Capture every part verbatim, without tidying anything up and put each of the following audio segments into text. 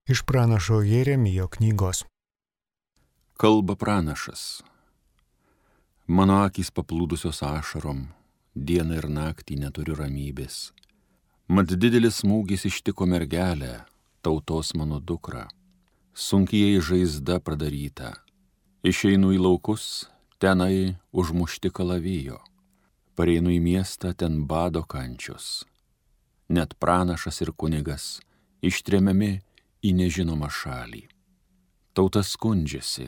Iš pranašo Jeremijo knygos. Kalba pranašas. Mano akys paplūdusios ašarom, dieną ir naktį neturiu ramybės. Mat didelis smūgis ištiko mergelę, tautos mano dukrą. Sunkiai žaizda pradaryta. Išeinu į laukus, tenai užmušti kalavijo. Pareinu į miestą, ten bado kančios. Net pranašas ir kunigas ištremiami į nežinomą šalį. Tauta skundžiasi,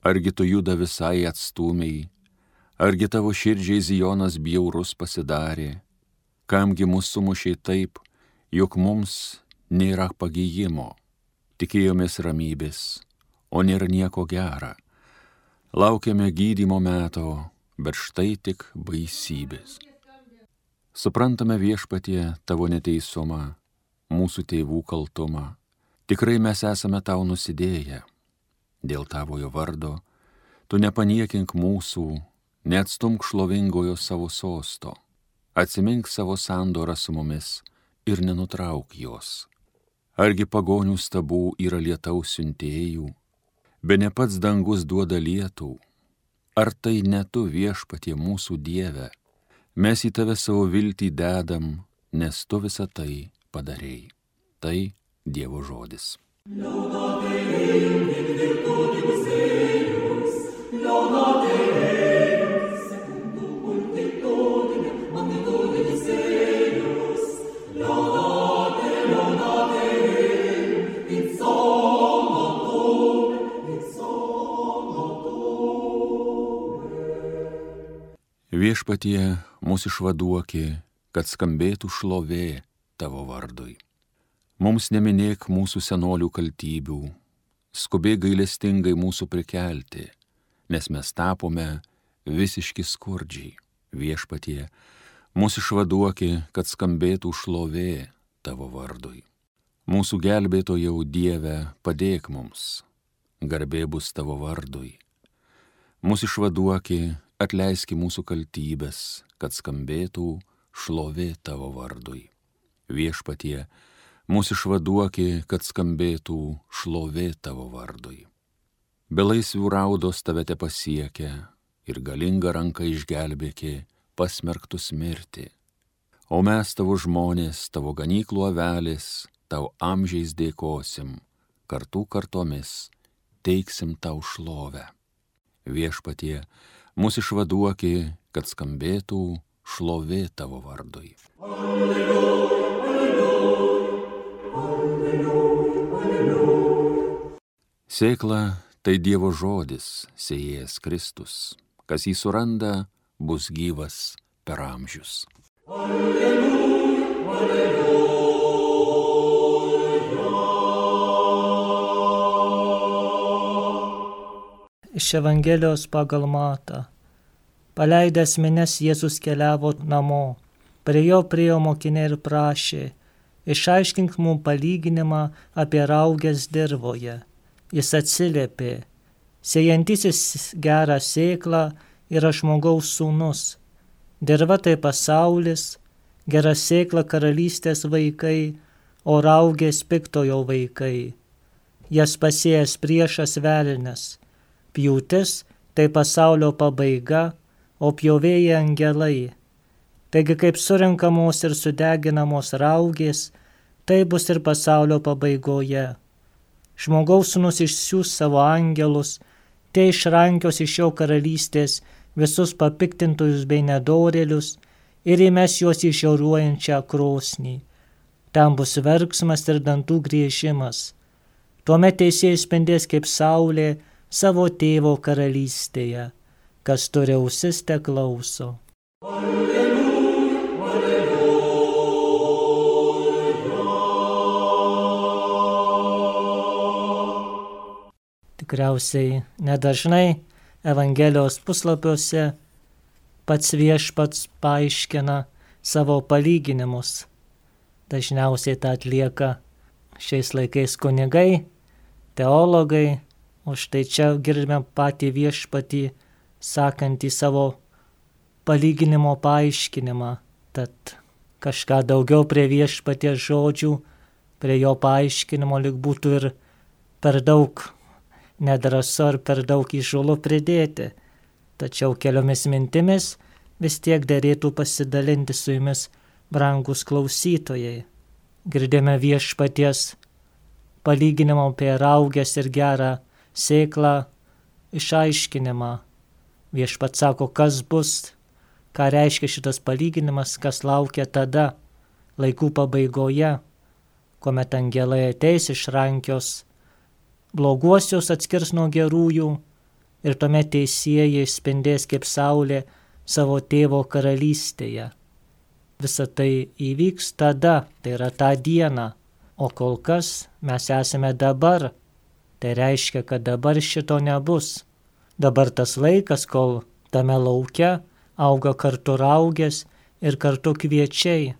argi tu juda visai atstūmiai, argi tavo širdžiai Zijonas bjaurus pasidarė, kamgi mus sumušiai taip, jog mums nėra pagijimo, tikėjomės ramybės, o nėra nieko gera, laukiame gydymo meto, bet štai tik baisybės. Suprantame viešpatie tavo neteisumą, mūsų tėvų kaltumą. Tikrai mes esame tau nusidėję. Dėl tavojo vardo tu nepaniekink mūsų, neatstumk šlovingojo savo sosto. Atsimink savo sandorą su mumis ir nenutrauk jos. Argi pagonių stabų yra lietaus siuntėjų, be ne pats dangus duoda lietų. Ar tai ne tu viešpatie mūsų Dieve? Mes į tave savo viltį dedam, nes tu visą tai padarei. Tai Dievo žodis. Viešpatie mūsų išvaduoki, kad skambėtų šlovė tavo vardui. Mums neminėk mūsų senolių kaltybių, skubėk gailestingai mūsų prikelti, nes mes tapome visiški skurdžiai. Viešpatie, mūsų išvaduoki, kad skambėtų šlovė tavo vardui. Mūsų gelbėtojau Dieve, padėk mums, garbė bus tavo vardui. Mūsų išvaduoki, atleiski mūsų kaltybės, kad skambėtų šlovė tavo vardui. Viešpatie, mūsų išvaduoki, kad skambėtų šlovė tavo vardui. Belaisvių raudos tave te pasiekia ir galinga ranka išgelbėki pasmerktus mirti. O mes tavo žmonės, tavo ganyklų avelės, tau amžiais dėkosim, kartų kartomis teiksim tau šlovę. Viešpatie, mūsų išvaduoki, kad skambėtų šlovė tavo vardui. Alleluja, alleluja. Sėkla tai Dievo žodis, sėjėjas Kristus. Kas jį suranda, bus gyvas per amžius. Alleluja, alleluja. Iš Evangelijos pagal Matą. Paleidęs minias Jėzus keliavo namo. Prie jo priėjo mokiniai ir prašė: išaiškink mums palyginimą apie rauges dirvoje. Jis atsiliepė: sėjantysis gerą sėklą yra žmogaus sūnus. Dirva tai pasaulis, gera sėkla karalystės vaikai, o raugės piktojo vaikai. Jas pasėjęs priešas velnias. Pjūtis tai pasaulio pabaiga, o pjovėjai angelai. Taigi kaip surinkamos ir sudeginamos raugės, tai bus ir pasaulio pabaigoje. Žmogaus sūnus išsiųs savo angelus, tie išrankios iš jo karalystės visus papiktintojus bei nedorėlius ir įmes juos į šiauruojančią krosnį. Ten bus verksmas ir dantų griežimas. Tuomet teisėjai spindės kaip saulė savo tėvo karalystėje. Kas turi ausis, te klauso. Alleluja, alleluja. Tikriausiai nedažnai Evangelijos puslapiuose pats viešpats paaiškina savo palyginimus. Dažniausiai tą atlieka šiais laikais kunigai, teologai, o štai čia girdime patį viešpatį sakantį savo palyginimo paaiškinimą. Tad kažką daugiau prie viešpaties žodžių prie jo paaiškinimo lyg būtų ir per daug nedrąsu ar per daug įžūlu pridėti. Tačiau keliomis mintimis vis tiek derėtų pasidalinti su jumis, brangus klausytojai. Girdėjome viešpaties palyginimą apie raugės ir gerą sėklą išaiškinimą. Viešpats sako, kas bus, ką reiškia šitas palyginimas, kas laukia tada, laikų pabaigoje, kuomet angelai ateis išrankios bloguosius atskirs nuo gerųjų ir tuomet teisieji spindės kaip saulė savo tėvo karalystėje. Visa tai įvyks tada, tai yra tą dieną, o kol kas mes esame dabar. Tai reiškia, kad dabar šito nebus. Dabar tas laikas, kol tame lauke auga kartu raugės ir kartu kviečiai.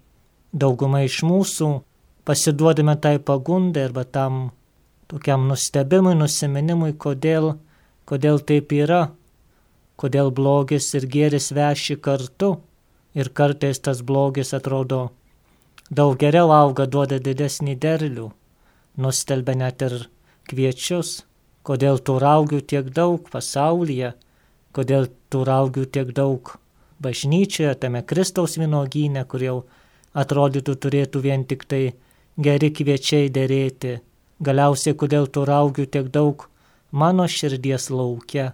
Dauguma iš mūsų pasiduodame tai pagundai arba tam tokiam nustebimui, nusiminimui, kodėl, kodėl taip yra, kodėl blogis ir gėris veši kartu ir kartais tas blogis atrodo daug geriau auga, duoda didesnį derlių, nustelbia net ir kviečius, kodėl tų raugių tiek daug pasaulyje, kodėl tų raugių tiek daug bažnyčioje, tame Kristaus vynuogyne, kur jau atrodytų turėtų vien tik tai geri kviečiai derėti. Galiausiai, kodėl tų raugių tiek daug mano širdies lauke,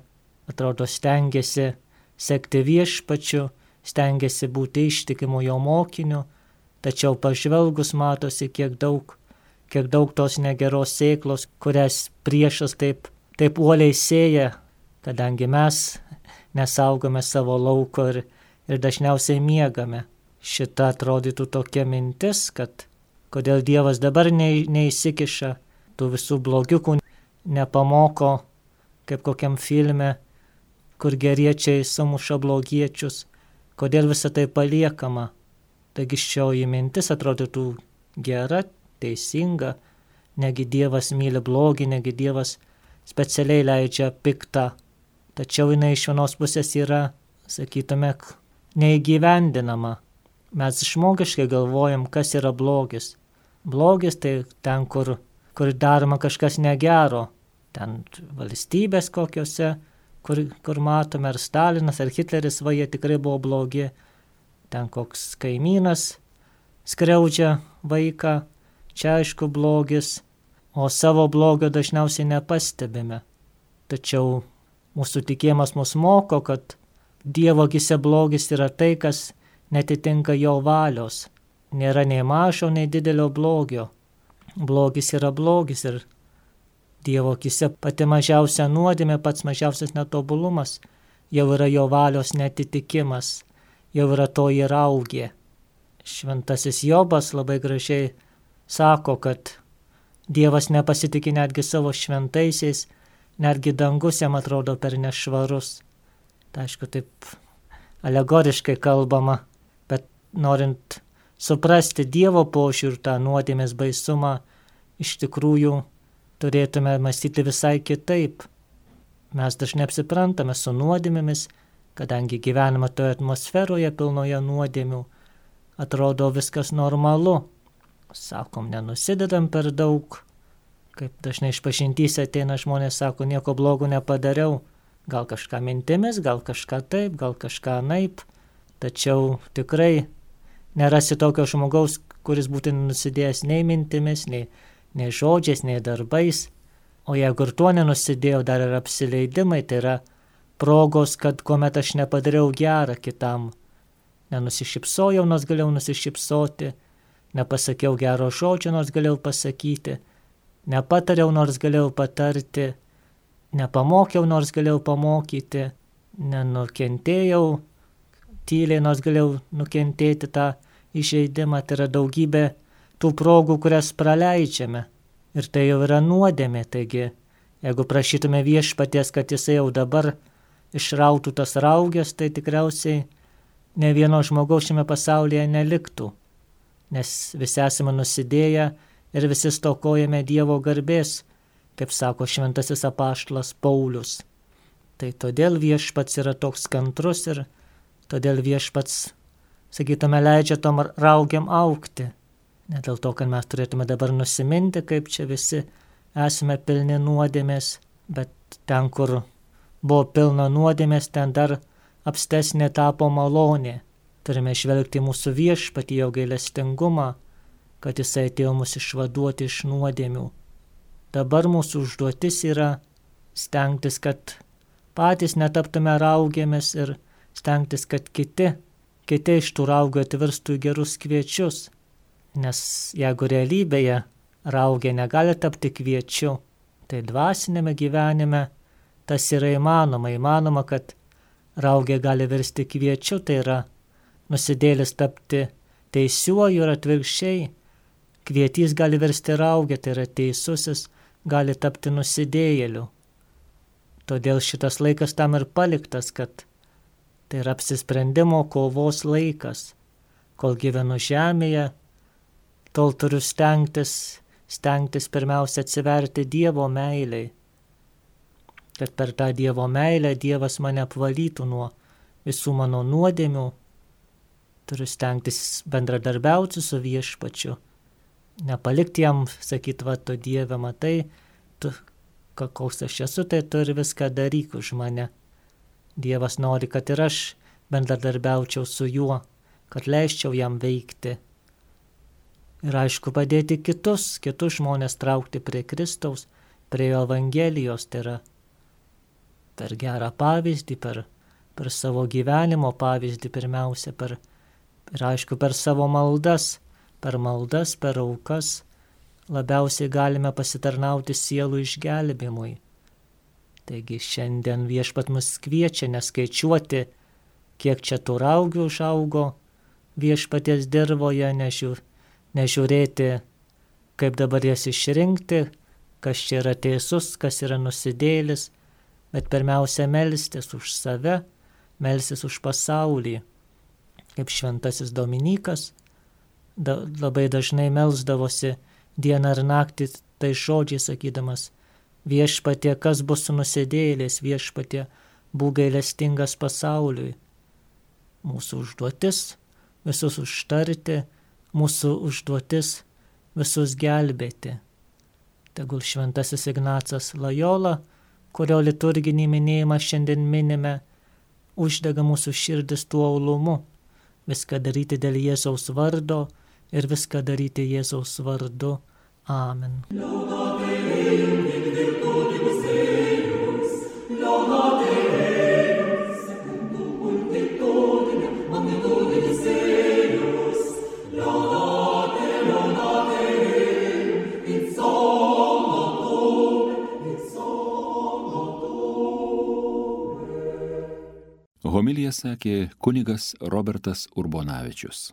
atrodo stengiasi sekti viešpačiu, stengiasi būti ištikimu jo mokiniu, tačiau pažvelgus matosi, kiek daug, kiek daug tos negeros sėklos, kurias priešas taip, taip uoliai sėja, kadangi mes nesaugome savo lauko ir, ir dažniausiai miegame. Šita atrodytų tokia mintis, kad kodėl Dievas dabar ne, neįsikiša, tų visų blogiukų nepamoko, kaip kokiam filme, kur geriečiai sumuša blogiečius, kodėl visą tai paliekama. Taigi šioji mintis atrodytų gera, teisinga, negi Dievas myli blogį, negi Dievas specialiai leidžia piktą, tačiau jinai iš vienos pusės yra, sakytume, neįgyvendinama. Mes žmogiškai galvojam, kas yra blogis. Blogis tai ten, kur, kur daroma kažkas negero, ten valstybės kokiose, kur, kur matome, ar Stalinas, ar Hitleris, va jie tikrai buvo blogi. Ten koks kaimynas skriaudžia vaiką, čia aišku blogis, o savo blogio dažniausiai nepastebime. Tačiau mūsų tikėjimas mus moko, kad Dievo akyse blogis yra tai, kas netitinka jo valios. Nėra nei mažo, nei didelio blogio. Blogis yra blogis ir Dievo akyse pati mažiausia nuodėmė, pats mažiausias netobulumas jau yra jo valios netitikimas, jau yra toji raugė. Šventasis Jobas labai gražiai sako, kad Dievas nepasitikė netgi savo šventaisiais, netgi dangus jam atrodo per nešvarus. Tai aišku, taip alegoriškai kalbama, bet norint suprasti Dievo požiūrį, tą nuodėmės baisumą, iš tikrųjų turėtume mąstyti visai kitaip. Mes dažnai apsiprantame su nuodėmėmis, kadangi gyvename toje atmosferoje pilnoje nuodėmių, atrodo viskas normalu. Sakom, nenusidedam per daug, kaip dažnai išpažintyse ateina žmonės, sako, nieko blogo nepadariau, gal kažką mintimis, gal kažką taip, gal kažką naip, tačiau tikrai nerasi tokio žmogaus, kuris būtų nusidėjęs nei mintimis, nei, nei žodžiais, nei darbais, o jeigu ir tuo nenusidėjau, dar ir apsileidimai, tai yra progos, kad kuomet aš nepadariau gerą kitam, nenusišypsojau, nors galėjau nusišypsoti, nepasakiau gero žodžio, nors galėjau pasakyti, nepatariau, nors galėjau patarti, nepamokiau, nors galėjau pamokyti, nenukentėjau, tyliai, nors galėjau nukentėti tą įžeidimą. Tai yra daugybė tų progų, kurias praleidžiame. Ir tai jau yra nuodėmė. Taigi, jeigu prašytume viešpaties, kad jisai jau dabar išrautų tas raugės, tai tikriausiai ne vieno žmogaus šiame pasaulyje neliktų. Nes visi esame nusidėję ir visi stokojame Dievo garbės, kaip sako šventasis apaštalas Paulius. Tai todėl viešpats yra toks kantrus ir todėl viešpats, sakytume, leidžia tom raugiam augti. Ne dėl to, kad mes turėtume dabar nusiminti, kaip čia visi esame pilni nuodėmės, bet ten, kur buvo pilna nuodėmės, ten dar apstesnė tapo malonė. Turime žvelgti mūsų viešpatį, jo gailestingumą, kad jisai atėjo mus išvaduoti iš nuodėmių. Dabar mūsų užduotis yra stengtis, kad patys netaptume raugėmis ir stengtis, kad kiti, kiti iš tų raugų atvirstų į gerus kviečius. Nes jeigu realybėje raugė negali tapti kviečiu, tai dvasinėme gyvenime tas yra įmanoma. Įmanoma, kad raugė gali virsti kviečiu, tai yra nusidėlis tapti teisiuoju ir atvirkščiai. Kvietys gali virsti raugė, tai yra teisusis gali tapti nusidėjėliu. Todėl šitas laikas tam ir paliktas, kad tai yra apsisprendimo kovos laikas. Kol gyvenu žemėje, tol turiu stengtis, stengtis pirmiausia atsiverti Dievo meiliai. Kad per tą Dievo meilę Dievas mane apvalytų nuo visų mano nuodėmių. Turiu stengtis bendradarbiauti su viešpačiu. Nepalikti jam, sakyt, va, tu Dieve, matai, tu, koks aš esu, tai tu ir viską daryk už mane. Dievas nori, kad ir aš bendradarbiaučiau su juo, kad leisčiau jam veikti. Ir aišku, padėti kitus, kitus žmonės traukti prie Kristaus, prie jo Evangelijos, tai yra per gerą pavyzdį, per, per savo gyvenimo pavyzdį pirmiausia, per, ir aišku, per savo maldas, per maldas, per aukas labiausiai galime pasitarnauti sielų išgelbėjimui. Taigi šiandien viešpat mus kviečia neskaičiuoti, kiek čia tų raugių užaugo viešpaties dirvoje, nežiū, nežiūrėti, kaip dabar jas išrinkti, kas čia yra teisus, kas yra nusidėlis, bet pirmiausia melstis už save, melstis už pasaulį. Kaip šventasis Dominikas da, labai dažnai melsdavosi dieną ir naktį tai žodžiai sakydamas: viešpatie, kas bus su nusidėjėliais, viešpatie, būk gailestingas pasauliui. Mūsų užduotis visus užtarti, mūsų užduotis visus gelbėti. Tegul šventasis Ignacas Lojola, kurio liturginį minėjimą šiandien minime, uždega mūsų širdis tuo uolumu, viską daryti dėl Jėzaus vardo ir viską daryti Jėzaus vardu. Amen. Homiliją sakė kunigas Robertas Urbonavičius.